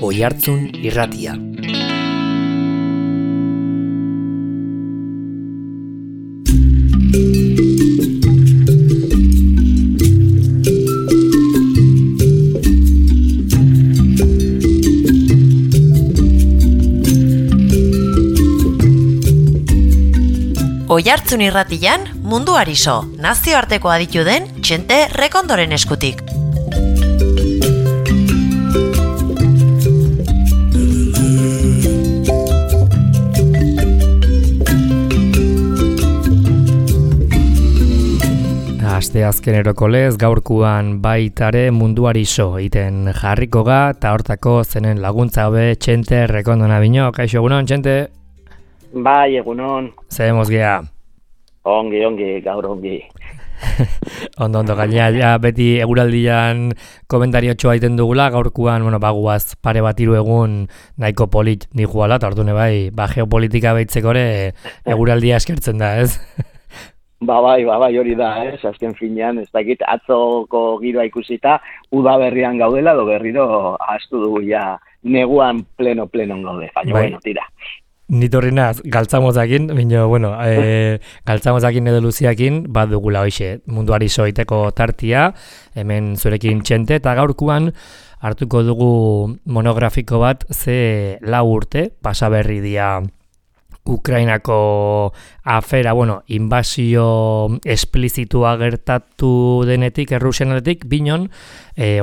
Oihartzun Irratia. Oihartzun Irratian munduari so, nazioarteko aditu den Txente Rekondoren eskutik. Aste azkeneroko lez, gaurkuan baitare munduari so iten jarriko ga, eta hortako zenen laguntza hobe Txente Rekondona bino. Kaixo, egunon, Txente? Bai, egunon. Zehemos gea. Ongi, gaur ongi. Ondo, gainea, ja, beti eguraldian komentario txoa iten dugula, gaurkuan, baguaz pare bat hiru egun nahiko polit nijuala, eta orduan bai, geopolitika behitzekore eguraldia eskertzen da, ez? Bai, hori da, ez? Azken finean, ez dakit, atzoko giroa ikusita, udaberrian gaudela, edo berriro ahaztu dugu ja neguan pleno gaude, baina, bueno, tira. Nitorri naz, galtzamozakin, galtzamozakin edo luziakin, bat dugula hoxe, munduari soiteko tartia, hemen zurekin Txente, eta gaurkuan hartuko dugu monografiko bat, ze 4 urte, pasaberri dia Ukrainako afera, inbasio esplizitua gertatu denetik, Errusianaletik, binon,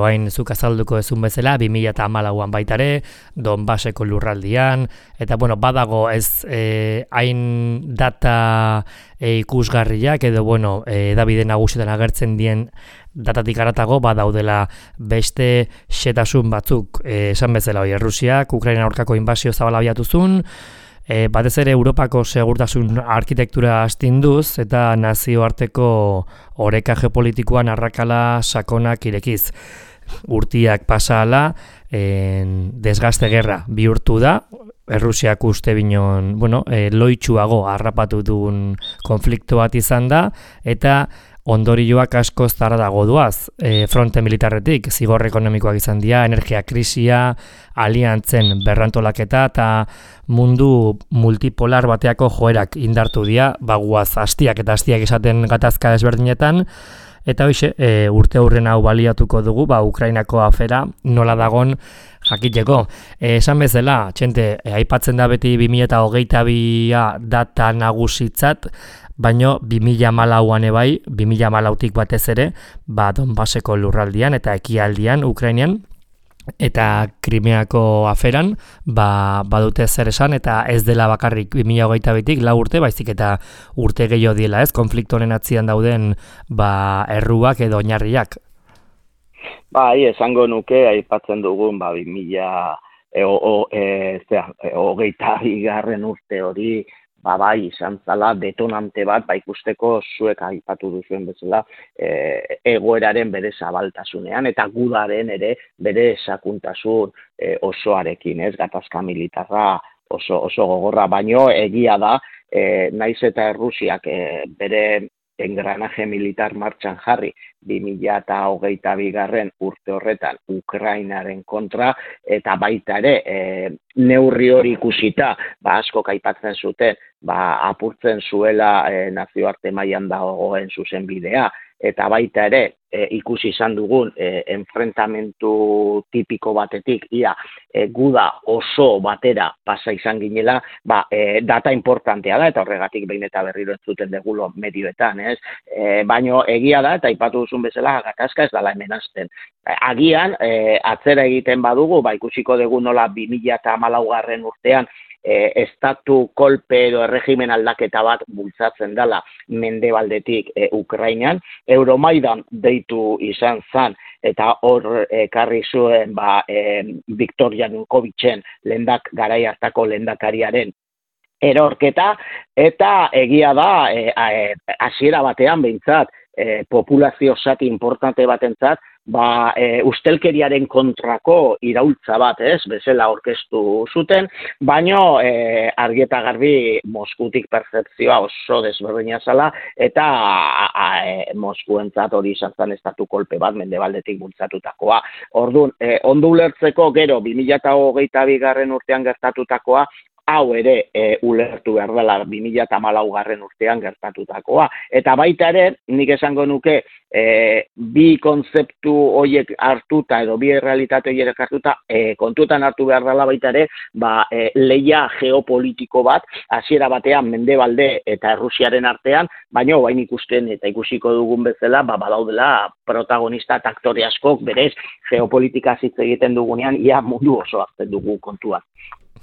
oain zuk azalduko ezun bezala, 2014an baitare, Donbaseko lurraldian, eta badago ez hain data ikusgarriak, edo edabide nagusietan agertzen dien datatik aratago, badaudela beste xetasun batzuk, esan bezala, Errusiak, Ukraina aurkako inbasio zabala abiatuzun, batez ere Europako segurtasun arkitektura astinduz eta nazioarteko oreka geopolitikoan arrakala sakonak irekiz. Urtiak pasala, desgaste gerra bihurtu da, Errusiak uste binon, loitsuago harrapatu duen konflikto bat izan da, eta ondorioak asko zara dago duaz, fronte militarretik, zigor ekonomikoak izan dira, energia krisia, aliantzen berrantolaketa eta mundu multipolar bateako joerak indartu dira, baguaz hastiak esaten gatazka desberdinetan, eta hoxe, urte hurren hau baliatuko dugu, Ukrainako afera nola dagon jakiteko. Esan bezala, Txente, aipatzen da beti 2022a data nagusitzat, baino 2014an ebai, 2014tik batez ere, Donbaseko lurraldian eta ekialdian, Ukrainian, eta Krimeako aferan, badute zer esan, eta ez dela bakarrik 2022tik 4 urte, baizik eta urte gehiago diela, ez? Konflikto honen atzian dauden erruak edo oinarriak. Bai, esango nuke, aipatzen dugun, 2022 urte hori, bai, izan zala detonante bat, ikusteko zuek aipatu duzuen bezala, egoeraren bere zabaltasunean, eta gudaren ere bere sakuntasun osoarekin, ez, gatazka militarra oso gogorra, baino egia da, naiz eta Errusiak bere engranaje militar martxan jarri 2022 urte horretan Ukrainaren kontra, eta baita ere neurri hori ikusita, askok aipatzen zuten, apurtzen zuela nazioarte mailan dagoen zuzenbidea, eta baita ere ikusi izan dugun enfrentamentu tipiko batetik, guda oso batera pasa izan ginela, data importantea da, eta horregatik behin eta berriro entzuten degulo medioetan, ez? Baino egia da, eta aipatu duzun bezala, gatazka ez dela hemen hasten. Agian, atzera egiten badugu, ikusiko dugu nola 2014 urtean, estatu kolpe edo erregimen aldaketa bat bultzatzen dela mendebaldetik Ukrainan, Euromaidan deitu izan zan, eta hor ekarri zuen Viktor Yanukovitzen garai hartako lehendakariaren erorketa, eta egia da, hasiera batean behintzat, populazio zati importante batentzat, ustelkeriaren kontrako iraultza bat, bezala aurkeztu zuten, baino argi eta garbi Moskutik pertzepzioa oso desberdina zala, eta Moskuentzat hori izan zen estatu kolpe bat mendebaldetik bultzatutakoa. Orduan, ondo ulertzeko gero 2022 urtean gertatutakoa, hau ere ulertu behar dela 2014 urtean gertatutakoa. Eta baita ere, nik esango nuke, bi kontzeptu horiek hartuta edo bi realitate horiek hartuta kontutan hartu behar dela baita ere, leia geopolitiko bat, hasiera batean Mendebalde eta Errusiaren artean, baina bain ikusten eta ikusiko dugun bezala, badaudela protagonista eta aktore askok berez geopolitika hitz egiten dugunean, ia mundu oso hartzen dugu kontuan.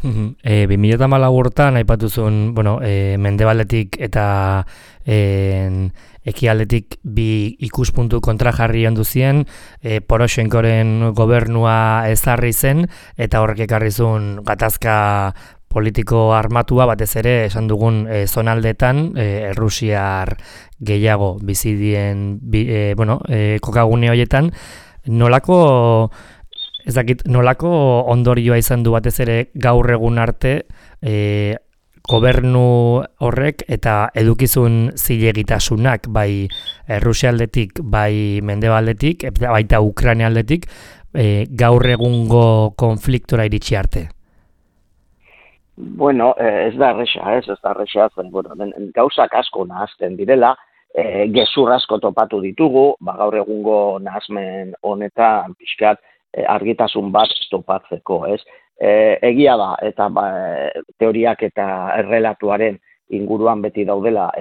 2014 urtean aipatuzun, Mendebaldetik eta ekialdetik bi ikuspuntu kontrajarri ondu zien, Poroshenkoren gobernua ezarri zen, eta horrek ekarri zuen gatazka politiko armatua, batez ere, esan dugun zonaldetan, Errusiar gehiago bizidien, kokagune horietan, nolako ondorioa izan du batez ere gaur egun arte gobernu horrek eta edukizun zilegitasunak bai Errusialdetik, bai Mendebaldetik, baita Ukrainialdetik gaur egungo konfliktora iritsi arte? Ez da erresa, gauzak asko nahazten direla, gezur asko topatu ditugu, gaur egungo nahazmen honetan pixkat argitasun bat topatzeko, egia da, eta teoriak eta errelatuaren inguruan beti daudela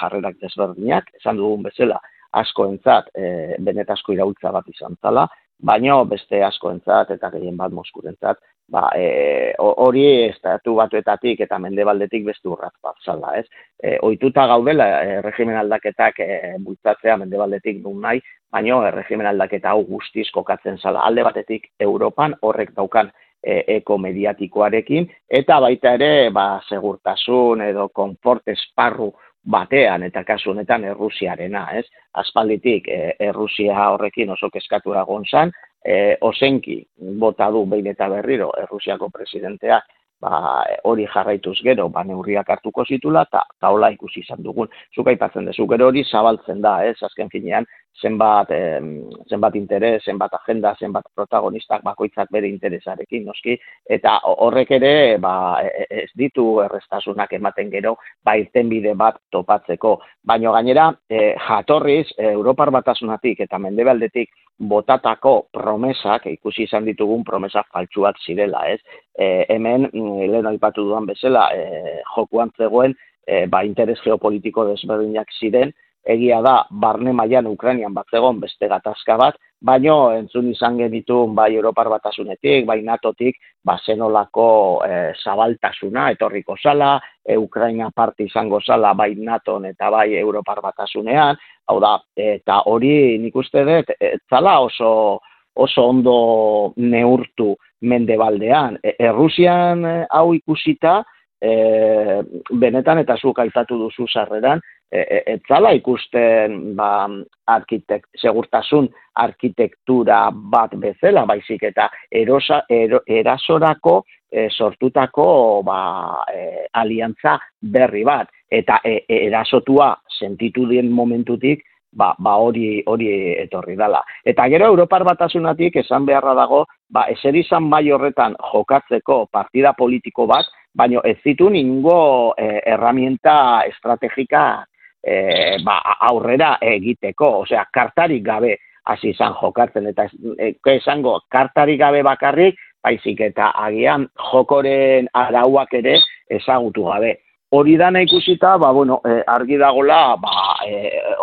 jarrerak desberdinak, esan dugun bezala askoentzat benetazko iraultza bat izan zala, baino beste askoentzat eta gehien bat Moskurentzat, hori estatu batuetatik eta Mendebaldetik beste urratz bat zala, ohituta gaudela erregimen aldaketak bultzatzea Mendebaldetik nun nahi, baino erregimen aldaketa hau guztiz kokatzen zala alde batetik Europan horrek daukan eko mediatikoarekin, eta baita ere segurtasun edo konfort esparru batean, eta kasu honetan Errusiarena, aspalditik Errusia horrekin oso kezkatu egon zan, ozenki bota du behin eta berriro Errusiako presidenteak hori jarraituz gero neurriak hartuko zitula, eta hola ikusi izan dugun. Zuk aipatzen dezu, gero hori zabaltzen da, azken finean, zenbat interes, zenbat agenda, zenbat protagonistak bakoitzak bere interesarekin, noski, eta horrek ere ez ditu errestasunak ematen gero, irtenbide bat topatzeko. Baina gainera, jatorriz, Europar Batasunatik eta Mendebaldetik botatako promesak, ikusi izan ditugun promesak faltsuak zirela, hemen, lehen aipatu dudan bezala, jokuan zegoen, interes geopolitiko desberdinak ziren, egia da, barne mailan Ukrainian bat zegoen beste gatazka bat, baino entzun izan genitun bai Europar Batasunetik, bai NATOtik, zenolako zabaltasuna etorriko zala, Ukraina parte izango zala bai NATOn eta bai Europar Batasunean, hau da, eta hori nik uste dut, zala oso ondo neurtu Mendebaldean. Errusian hau ikusita, benetan eta zuk aipatu duzu sarreran, etzala ikusten segurtasun arkitektura bat bezala, baizik eta erasorako sortutako aliantza berri bat, eta erasotua sentitu dien momentutik, hori etorri dela. Eta gero Europar Batasunatik esan beharra dago, ezer izan bai horretan jokatzeko partida politiko bat, baina ez zitu ningo herramienta estrategika aurrera egiteko, osea, kartarik gabe hasi izan jokatzen, eta esango kartarik gabe bakarrik, baizik eta agian jokoren arauak ere ezagutu gabe. Hori dana ikusita, argi dagola,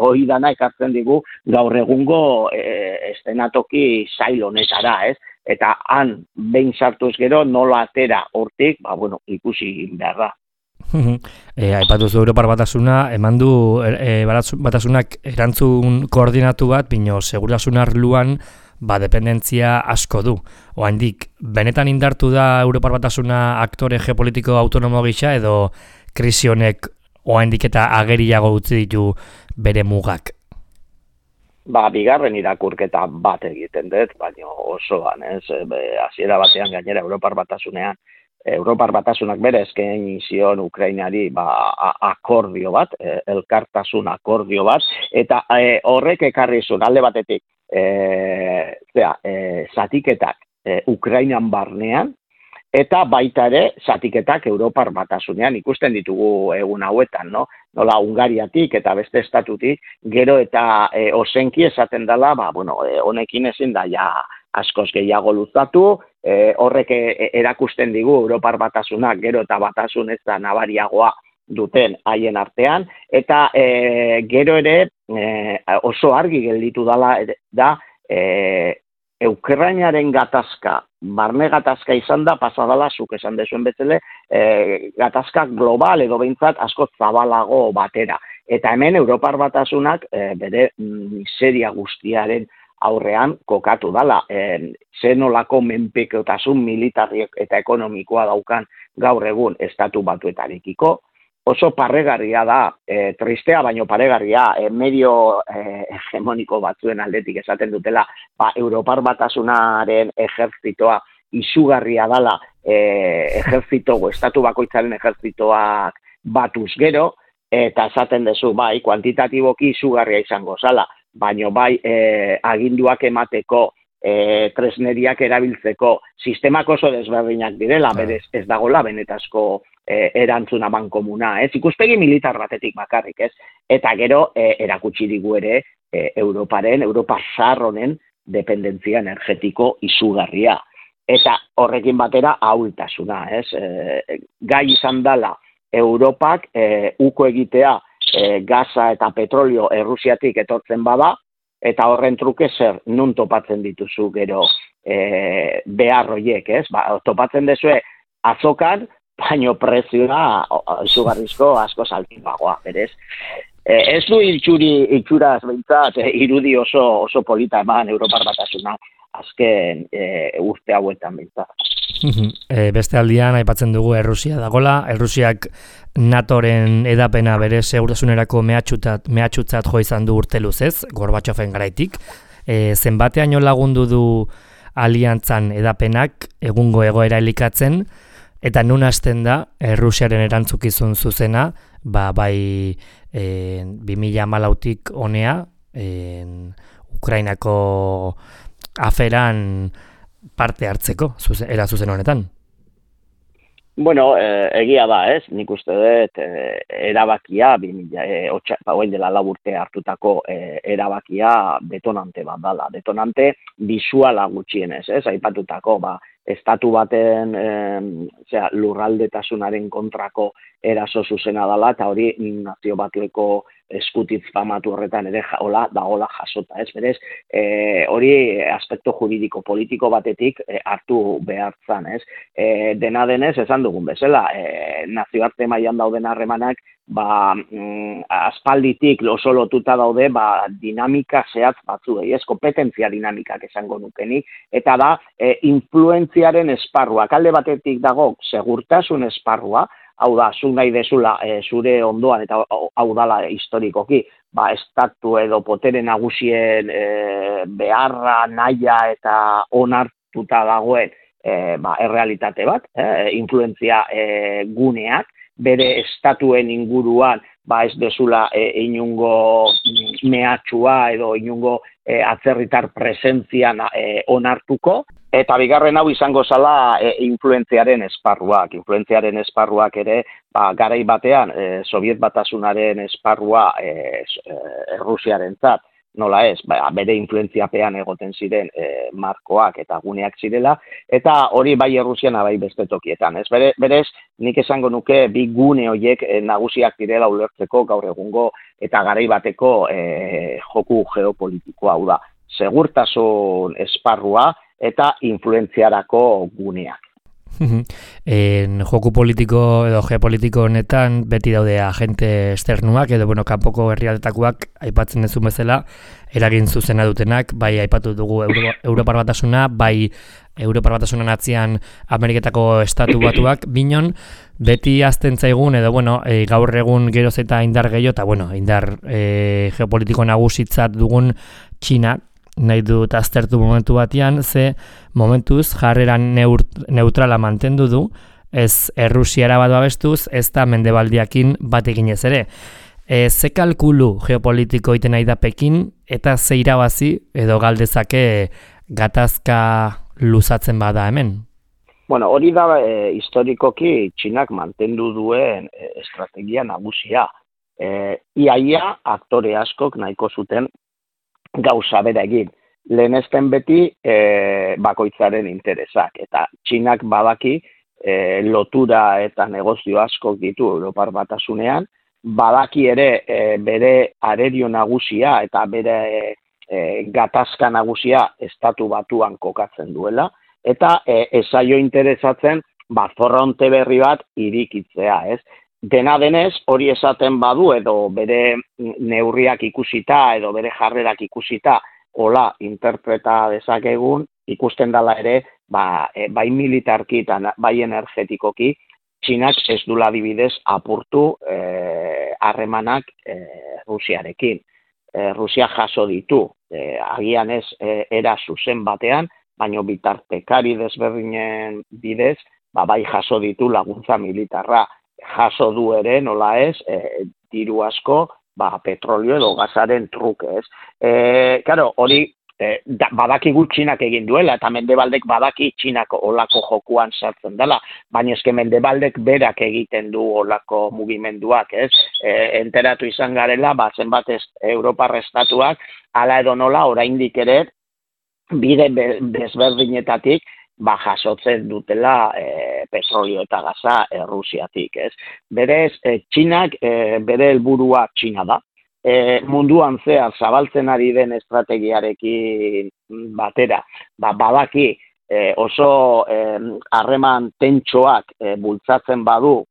hori dana ekartzen digu gaur egungo estenatoki zail honetara, eta han behin sartuz gero nola atera hortik, ikusi behar da. Aipatuzu Europar Batasuna, eman du Batasunak erantzun koordinatu bat, bino segurasun arluan dependentzia asko du. Oraindik benetan indartu da Europar Batasuna aktore geopolitiko autonomo gisa, edo krisi honek oraindik eta ageriago utzi ditu bere mugak? Bigarren irakurketa bat egiten dut, baina osoan, hasiera batean gainera Europar Batasunak bere eskaini zion Ukrainari akordio bat, elkartasun akordio bat, eta horrek ekarri zuen alde batetik zatiketak Ukrainan barnean, eta baita ere zatiketak Europar Batasunean ikusten ditugu egun hauetan, no? Nola Hungariatik eta beste estatutik, gero eta ozenki esaten dela, honekin ezin da ja askoz gehiago luzatu, horrek erakusten digu Europar Batasunak gero eta batasun ez da nabariagoa duten haien artean, eta gero ere oso argi gelditu da Ukrainaren gatazka, barne gatazka izan da, pasadala, zuk esan dezuen bezala, gatazka global edo behintzat asko zabalago batera. Eta hemen Europar Batasunak bere miseria guztiaren aurrean kokatu dala. Zenolako menpekotasun militarriek eta ekonomikoa daukan gaur egun estatu batuetarekiko, oso paregarria da, tristea baino paregarria, medio hegemoniko batzuen aldetik esaten dutela, Europar Batasunaren ejertzitoa izugarria dala, estatu bakoitzaren ejertzitoak batuz gero, eta esaten dezu, kuantitatiboki izugarria izango zala, baino aginduak emateko, tresneriak erabiltzeko sistemak oso desberdinak direla, berez ez dagola benetazko erantzuna bankomuna, ikuspegi militar batetik bakarrik, eta gero erakutsi digu ere Europa zahar honen dependentzia energetiko izugarria. Eta horrekin batera ahultasuna, gai izan dela Europak uko egitea gaza eta petrolio Errusiatik etortzen bada, eta horren truke zer, nun topatzen dituzu gero behar horiek, topatzen dezue azokan, baino prezioa izugarrizko asko saltipagoa, berez. Ez du itxuraz behintzat irudi oso polita eman Europar Batasunak azken urte hauetan behintzat. Beste aldian aipatzen dugu Errusia dagola, Errusiak NATOren edapena bere segurtasunerako mehatxutzat jo izan du urte luzez, Gorbatxofen garaitik. Zenbateaino lagundu du aliantzan edapenak egungo egoera elikatzen, eta nun hasten da Errusiaren erantzukizun zuzena, bai 2014tik honea, Ukrainako aferan parte hartzeko, era zuzen honetan. Bueno, egia da, nik uste dut erabakia, hoen dela 4 urte hartutako erabakia detonante bat dala. Detonante bisuala gutxienez, aipatutako, estatu baten lurraldetasunaren kontrako eraso zuzena dela, eta hori nazio batueko eskutitz famatu horretan ere dagola jasota, berez, hori aspekto juridiko politiko batetik hartu behartzan, dena denez, esan dugun bezala, nazioarte mailan dauden harremanak, aspalditik oso lotuta daude, dinamika zehatz batzuei, kompetentzia dinamikak esango nukenik, eta da, influentziaren esparrua, alde batetik dago, segurtasun esparrua, hau da, zu nahi dezula zure ondoan, eta hau dala historikoki, estatu edo potere nagusien beharra, nahia eta onartuta dagoen errealitate bat, influentzia guneak, bere estatuen inguruan, ez dezula inungo mehatxua edo inungo atzerritar presentzian onartuko, eta bigarren hau izango zala influentziaren esparruak. Influentziaren esparruak ere, garai batean, Sobiet Batasunaren esparrua Errusiarentzat, nola ez, bere influentziapean egoten ziren markoak eta guneak zirela, eta hori bai Errusiana bai beste tokietan. Berez, nik esango nuke bi gune horiek nagusiak direla ulertzeko gaur egungo eta garai bateko joku geopolitikoa, hau da, segurtasun esparrua eta influentziarako guneak. Joku politiko edo geopolitiko honetan beti daude agente externuak edo kanpoko herrialdetakoak aipatzen dezun bezala eragin zuzena dutenak, bai aipatu dugu Europar Batasuna, bai Europar Batasunan atzian Ameriketako estatu batuak, binon beti azten zaigun edo gaur egun geroz eta indar gehiago eta indar geopolitiko nagusitzat dugun Txina nahi dut aztertu momentu batean, ze momentuz jarreran neutrala mantendu du, ez Errusiara bat babestuz, ez da Mendebaldiakin bat eginez ere. Ze kalkulu geopolitiko iten nahi da Pekin, eta ze irabazi edo galdezake gatazka luzatzen bada hemen? Hori da historikoki Txinak mantendu duen estrategia nagusia. Iaia aktore askok nahiko zuten gauza bera egin. Lehenesten beti bakoitzaren interesak. Eta Txinak badaki lotura eta negozio askok ditu Europar Batasunean, badaki ere bere arerio nagusia eta bere gatazka nagusia estatu batuan kokatzen duela, eta esaio interesatzen fronte berri bat irikitzea, ez? Dena denez, hori esaten badu edo bere neurriak ikusita edo bere jarrerak ikusita hola interpreta dezakegun, ikusten dela ere, bai militarki eta bai energetikoki, Txinak ez dula adibidez apurtu harremanak Rusiarekin. Rusia jaso ditu, agian ez era zuzen batean, baina bitartekari desberdinen bidez, bai jaso ditu laguntza militarra. Jaso du ere, nola ez, diru asko, petrolio edo gazaren truke, ez. Hori, badakigu Txinak egin duela, eta Mendebaldek badaki Txinak olako jokuan sartzen dela, baina eske Mendebaldek berak egiten du olako mugimenduak, ez. Enteratu izan garela, zenbat Europar estatuak, hala edo nola, oraindik ere, bide desberdinetatik, jasotzen dutela petrolio eta gaza Rusiatik, ez. Berez, Txinak bere helburua Txina da. Munduan zehar zabaltzen ari den estrategiarekin batera, badaki oso harreman tentsoak bultzatzen badu,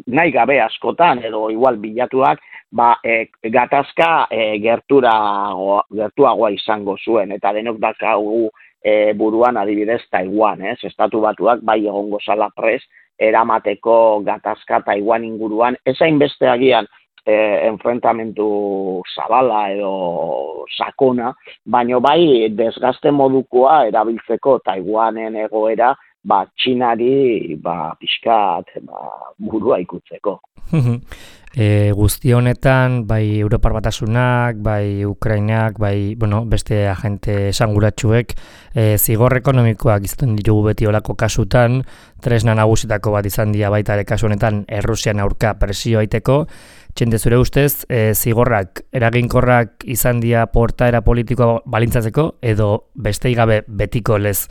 nahi gabe askotan edo igual bilatuak, gatazka gertuagoa izango zuen, eta denok dakagu buruan adibidez Taiwan, ez? Estatu batuak bai egongo zala prest eramateko gatazka Taiwan inguruan, ezain beste agian enfrentamentu zabala edo sakona, baino bai desgaste modukoa erabiltzeko Taiwanen egoera Txinari pixkat burua ikutzeko. Guzti honetan, bai Europar Batasunak, bai Ukrainak, bai beste agente esanguratsuek zigor ekonomikoak izaten ditugu beti olako kasutan, tresna nagusitako bat izan dira baita ere kasu honetan Errusian aurka presio aiteko. Txende zure ustez, zigorrak eraginkorrak izan dira portaera politikoa balintzatzeko edo bestei gabe betiko lez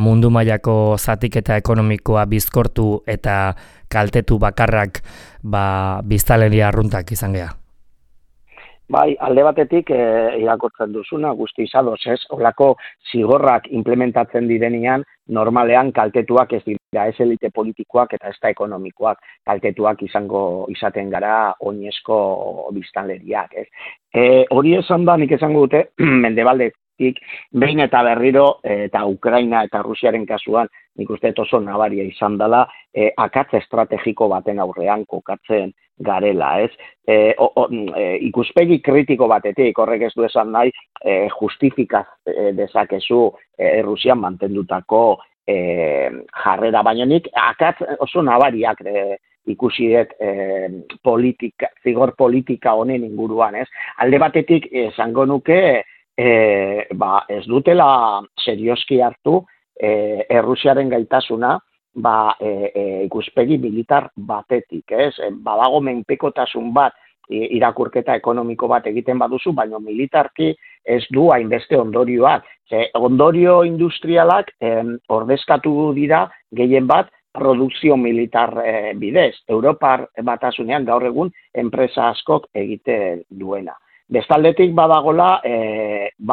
mundu mailako zatiketa ekonomikoa bizkortu eta kaltetu bakarrak biztanleria arruntak izan gea? Bai, alde batetik irakurtzen duzuna, guzti izadoz, ez? Olako zigorrak implementatzen direnean, normalean kaltetuak ez dira, ez elite politikoak eta ez da ekonomikoak, kaltetuak izaten gara oinezko biztanleriak, ez? Hori esan da, nik esango dute, Mendebaldetik, behin eta berriro, eta Ukraina eta Rusiaren kasuan, nik uste oso nabaria izan dela, akatz estrategiko baten aurrean kokatzen garela, ez? Ikuspegi kritiko batetik, horrek ez du esan nahi, justifikaz dezakezu Rusian mantendutako jarrera, baina nik akatz oso nabariak ikusiet zigor politika honen inguruan, ez? Alde batetik esango nuke, ez dutela serioski hartu Errusiaren gaitasuna ikuspegi militar batetik, ez? Badago menpekotasun bat irakurketa ekonomiko bat egiten baduzu, baina militarki ez du hainbeste ondorioak. Ondorio industrialak ordezkatu dira gehien bat produkzio militar bidez. Europar Batasunean gaur egun enpresa askok egiten duena. Bestaldetik badagola,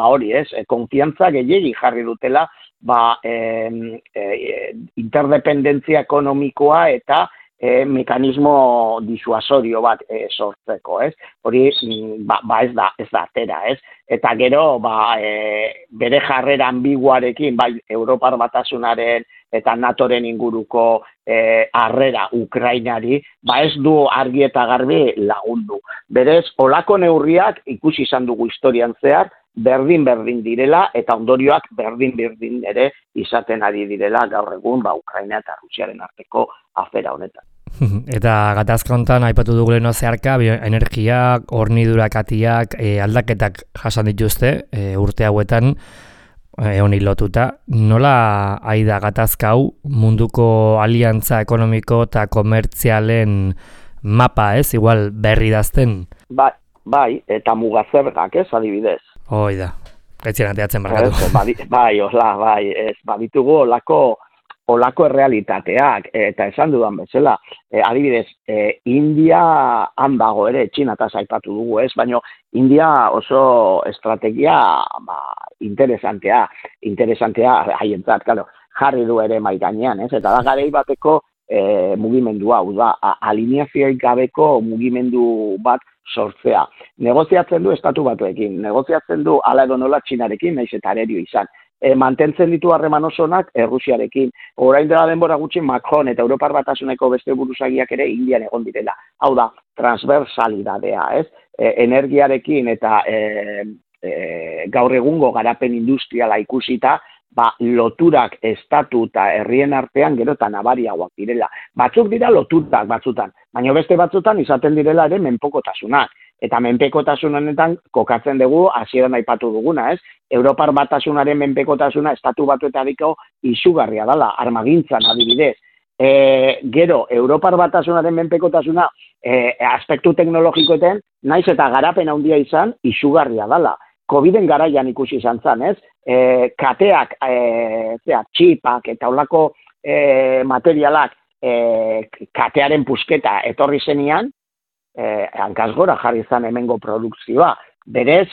hori ez, konfiantza gehiegi jarri dutela interdependentzia ekonomikoa eta mekanismo disuasorio bat sortzeko, ez? Hori ez da atera, ez? Eta gero bere jarrera ambiguarekin, bai Europar Batasunaren eta NATOren inguruko harrera Ukrainari, ez du argi eta garbi lagundu. Berez, olako neurriak ikusi izan dugu historian zehar, berdin direla eta ondorioak berdin ere izaten ari direla gaur egun Ukraina eta Rusiaren arteko afera honetan. Eta gatazka honetan aipatu dugu leheno zeharka, energiak, hornidurakatik, aldaketak jasan dituzte urte hauetan honi lotuta. Nola aida gatazka hau munduko aliantza ekonomiko eta komertzialen mapa, ez? Igual berri dazten? Bai, eta mugazergak, ez, adibidez. Hoi da, etzien ateatzen barkatu. Baditugu olako errealitateak, eta esan dudan bezala, adibidez, India handago ere, Txinataz aipatu dugu, ez, baina India oso estrategia interesantea haientzat, jarri du ere mai gainean, ez, eta da garei bateko mugimendu hau da, alineazioik gabeko mugimendu bat sortzea. Negoziatzen du estatu batuekin, negoziatzen du hala edo nola Txinarekin, naiz eta arerio izan. Mantentzen ditu harreman osonak Rusiarekin. Orain dela denbora gutxi Macron eta Europar Batasuneko beste buruzagiak ere Indian egon direla. Hau da, transversalidadea, ez? Energiarekin eta gaur egungo garapen industriala ikusita, loturak estatu eta herrien artean gero eta nabariagoak direla. Batzuk dira loturak batzutan, baina beste batzutan izaten direla ere menpekotasunak. Eta menpekotasun honetan kokatzen dugu hasieran aipatu duguna, ez? Europar Batasunaren menpekotasuna estatu batuetariko izugarria dela, armagintzan adibidez. Gero, Europar Batasunaren menpekotasuna aspektu teknologikoetan, naiz eta garapen handia izan, izugarria dela. Coviden garaian ikusi izan zen, ez? Kateak, txipak eta holako materialak katearen pusketa etorri zenian, hankaz gora jarri zen hemengo produkzioa. Berez,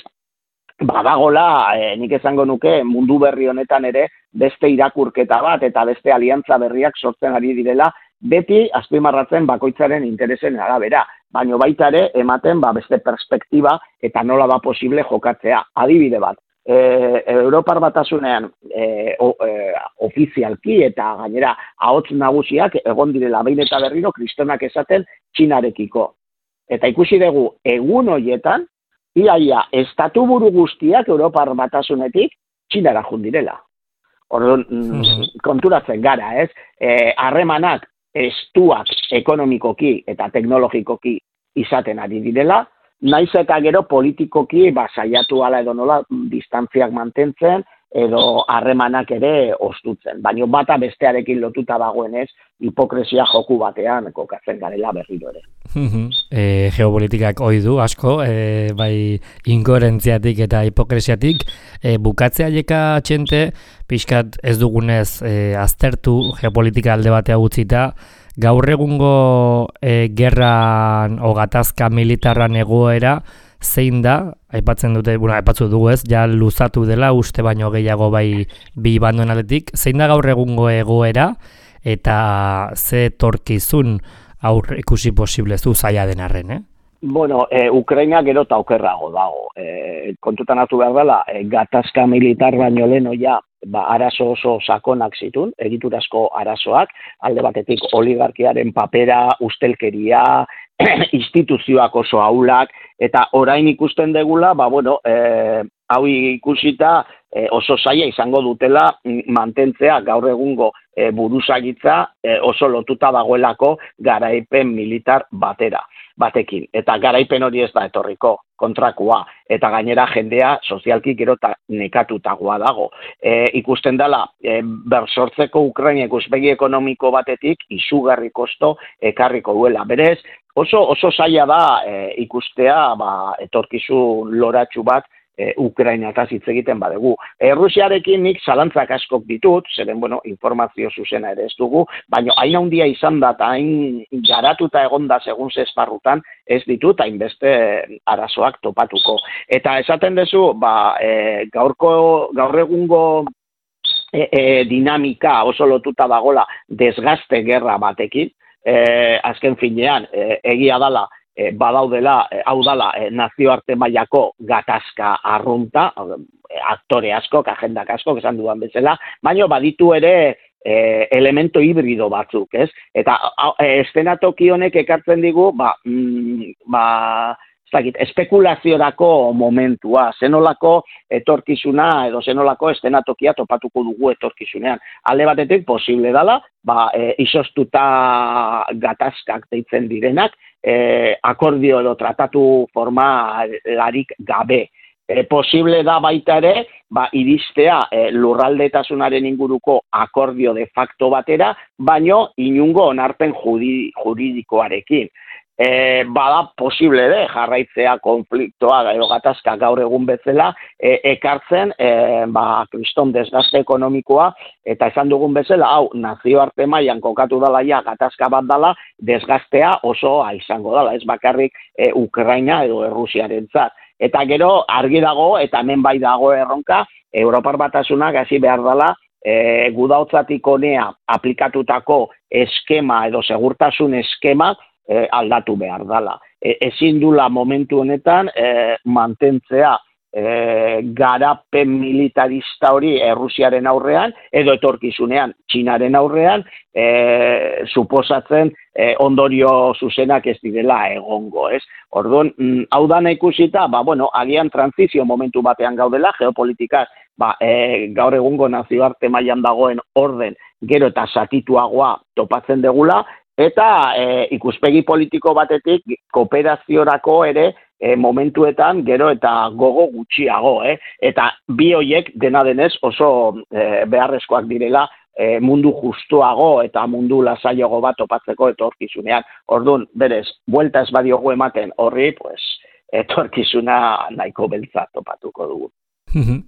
badagola, nik esango nuke, mundu berri honetan ere, beste irakurketa bat eta beste aliantza berriak sortzen ari direla, beti azpimarratzen bakoitzaren interesen arabera, baino baita ere ematen beste perspektiba eta nola da posible jokatzea. Adibide bat, Europar Batasunean ofizialki eta gainera ahots nagusiak egon direla behin eta berriro kristonak esaten Txinarekiko. Eta ikusi dugu egun horietan, iaia estatu buru guztiak Europar Batasunetik Txinara jundirela. Orduan, konturatzen gara, ez? Harremanak estuak ekonomikoki eta teknologikoki izaten ari direla, naiz eta gero politikoki saiatu ala edo nola distantziak mantentzen edo harremanak ere ostutzen. Baina bata bestearekin lotuta dagoenez, hipokresia joku batean kokatzen garela berriro ere. Geopolitikak ohi du asko, bai inkoherentziatik eta hipokresiatik, bukatzea jeka txente, pixkat ez dugunez aztertu geopolitika alde batea utzita, gaur egungo gerran o gatazka militarran egoera zein da, aipatzen dute, aipatzu dugu ez, ja luzatu dela uste baino gehiago bai bi banduen aldetik, zein da gaur egungo egoera eta ze torkizun aurre ikusi posible zu zaila den arren, Bueno, Ukraina gero eta okerrago dago. Kontutan hartu behar dela, gatazka militar baino lehen ja, arazo oso sakonak zitun, egiturazko arazoak, alde batetik oligarkiaren papera, ustelkeria, instituzioak oso ahulak, eta orain ikusten degula, hau ikusita oso zaila izango dutela mantentzea gaur egungo buruzagitza oso lotuta dagoelako garaipen militar batekin. Eta garaipen hori ez da etorriko, kontrakoa. Eta gainera jendea sozialki gero eta nekatutagoa dago. Ikusten dela, bersortzeko Ukraina ikuspegi ekonomiko batetik izugarri kosto ekarriko duela. Berez, oso zaila da ikustea etorkizun loratsu bat Ukrainataz hitz egiten badugu. Rusiarekin nik zalantzak askok ditut, zeren, informazio zuzena ere ez dugu, baina hain handia izan da eta hain garatuta egonda segun ze esparrutan ez ditut hainbeste arazoak topatuko. Eta esaten duzu, gaur egungo dinamika oso lotuta dagola desgaste gerra batekin, azken finean, egia dala, badaudela, hau dala, nazioarte mailako gatazka arrunta, aktore askok, agendak askok, esan dudan bezala, baina baditu ere elemento hibrido batzuk, ez? Eta eszenatoki honek ekartzen digu, espekulaziorako momentua, zenolako etorkizuna edo zenolako eszenatokia topatuko dugu etorkizunean. Alde batetik posible dela, izostuta gatazkak deitzen direnak, akordio edo tratatu formalarik gabe. Posible da baita ere, iristea lurraldetasunaren inguruko akordio de facto batera, baino inungo onarpen juridikoarekin. Bada posible de jarraitzea konfliktoa edo gatazka gaur egun bezala ekartzen kriston desgaste ekonomikoa eta esan dugun bezala hau nazioarte mailan kokatu dela ja gatazka bat dela desgastea osoa izango dela, ez bakarrik Ukraina edo Errusiarentzat. Eta gero argi dago eta hemen bai dago erronka Europar Batasunak hasi behar dela gudaotzatik honea aplikatutako eskema edo segurtasun eskema aldatu behar dela. Ezin dula momentu honetan mantentzea garapen militarista hori Errusiaren aurrean edo etorkizunean Txinaren aurrean suposatzen ondorio zuzenak ez direla egongo, ez? Orduan, hau dana ikusita, agian trantzizio momentu batean gaudela, geopolitikaz, gaur egungo nazioarte mailan dagoen orden gero eta zatituagoa topatzen degula, eta ikuspegi politiko batetik kooperaziorako ere momentuetan gero eta gogo gutxiago, eta bi hoiek dena denez oso beharrezkoak direla mundu justuago eta mundu lasaiago bat topatzeko etorkizunean. Orduan, berez, buelta ez badiogu ematen horri, etorkizuna nahiko beltza topatuko dugu.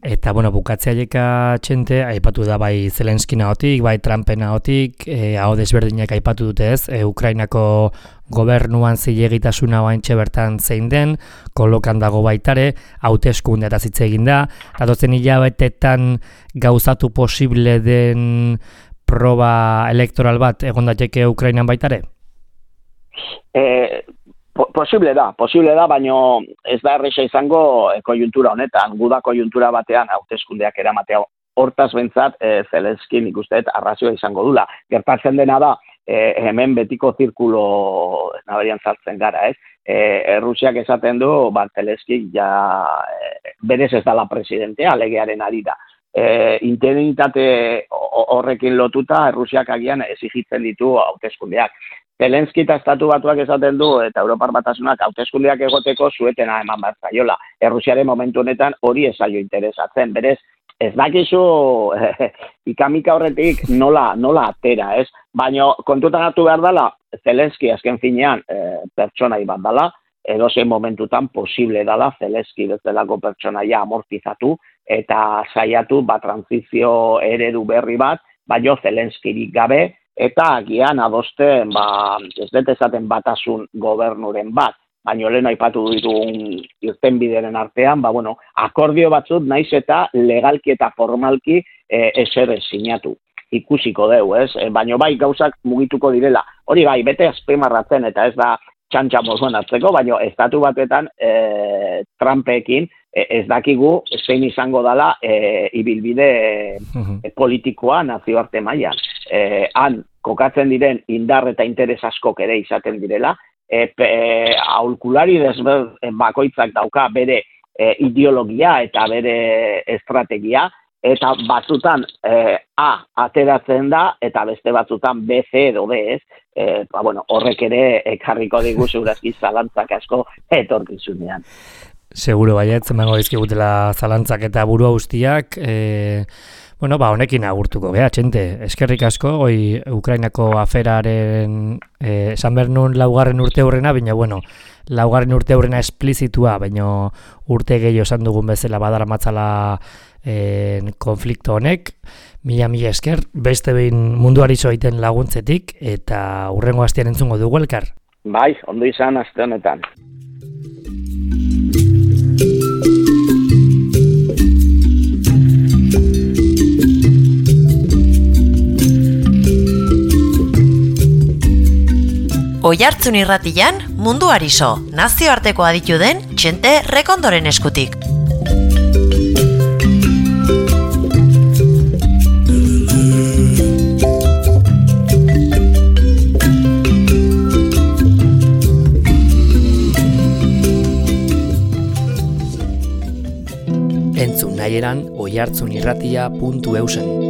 Eta, bukatzea txente, aipatu da bai Zelenskina hotik, bai Trumpen hotik, hau desberdinak aipatu dute ez, Ukrainako gobernuan zilegitasuna oaintxe bertan zein den, kolokan dago baitare, hauteskunde eta hitz egin da, datozen hilabetetan gauzatu posible den proba elektoral bat egon daiteke Ukrainan baitare? Posible da, baina ez da erresa izango koiuntura honetan, guda koiuntura batean hauteskundeak eramatea. Hortaz bentzat, Zelenskin ikusteet arrazioa izango dula. Gertatzen dena da, hemen betiko zirkulo nabarian sartzen gara, ez? Errusiak esaten du, Zelenskin berez ez dala presidentea, legearen ari da. Interinitate horrekin lotuta, Errusiak agian exigitzen ditu hauteskundeak. Zelenski eta Estatu Batuak esaten du eta Europar Batasunak hauteskundeak egoteko zuetena eman behar zaiola. Errusiaren momentu honetan hori ez zaio interesatzen. Berez, ez dakizu ikamika horretik nola atera, ez? Baina kontutan hartu behar dela, Zelenski azken finean pertsonai bat dela, edozein momentutan posible dela Zelenski bezalako pertsonaia amortizatu eta saiatu trantzizio eredu berri bat, baina Zelenskirik gabe, eta agian adosten, ez dut esaten batasun gobernuren bat, baina lehen aipatu ditugun irtenbideren artean, akordio batzut naiz eta legalki eta formalki ezer sinatu. Ikusiko deu, ez? Baina bai gauzak mugituko direla. Hori bai, bete azpimarratzen eta ez da txantxa moduan hartzeko, baina Estatu Batetan Trumpekin ez dakigu zein izango dela ibilbide politikoa nazioarte mailan. Han kokatzen diren indar eta interes askok ere izaten direla, aholkulari bakoitzak dauka bere ideologia eta bere estrategia, eta batzutan A ateratzen da, eta beste batzutan B, C edo D, ez? Horrek ere ekarriko digu segurazki zalantzak asko etorkizunean. Seguro baiet, emango dizkigutela zalantzak eta burua guztiak, honekin agurtuko, txente, eskerrik asko, Ukrainako aferaren, esan behar nun laugarren urte hurrena, baina, laugarren urte hurrena esplizitua, baina urte gehiago esan dugun bezala badara matzala konflikto honek, mila esker, beste behin munduari zoiten laguntzetik, eta hurrengo astean entzungo dugu elkar. Bai, ondo izan aste honetan. Oihartzun irratian munduari so, nazioarteko aditu den Txente Rekondoren eskutik. Entzun nahieran oihartzunirratia.eusen.